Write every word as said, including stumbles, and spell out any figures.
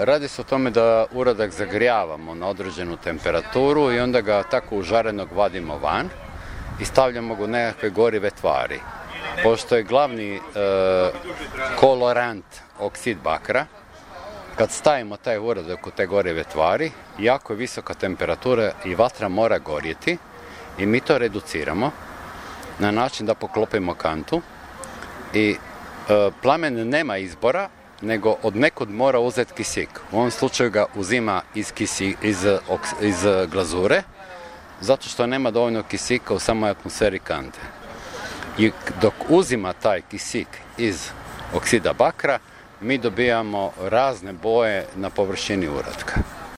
Radi se o tome da uradak zagrijavamo na određenu temperaturu i onda ga tako užarenog vadimo van i stavljamo ga u nekakve gorive tvari. Pošto je glavni e, kolorant oksid bakra, kad stavimo taj uradak u te gorive tvari, jako je visoka temperatura i vatra mora gorjeti i mi to reduciramo na način da poklopimo kantu i e, plamen nema izbora, nego od nekud mora uzeti kisik. U ovom slučaju ga uzima iz, kisi, iz, iz glazure, zato što nema dovoljno kisika u samoj atmosferi kante. I dok uzima taj kisik iz oksida bakra, mi dobijamo razne boje na površini uratka.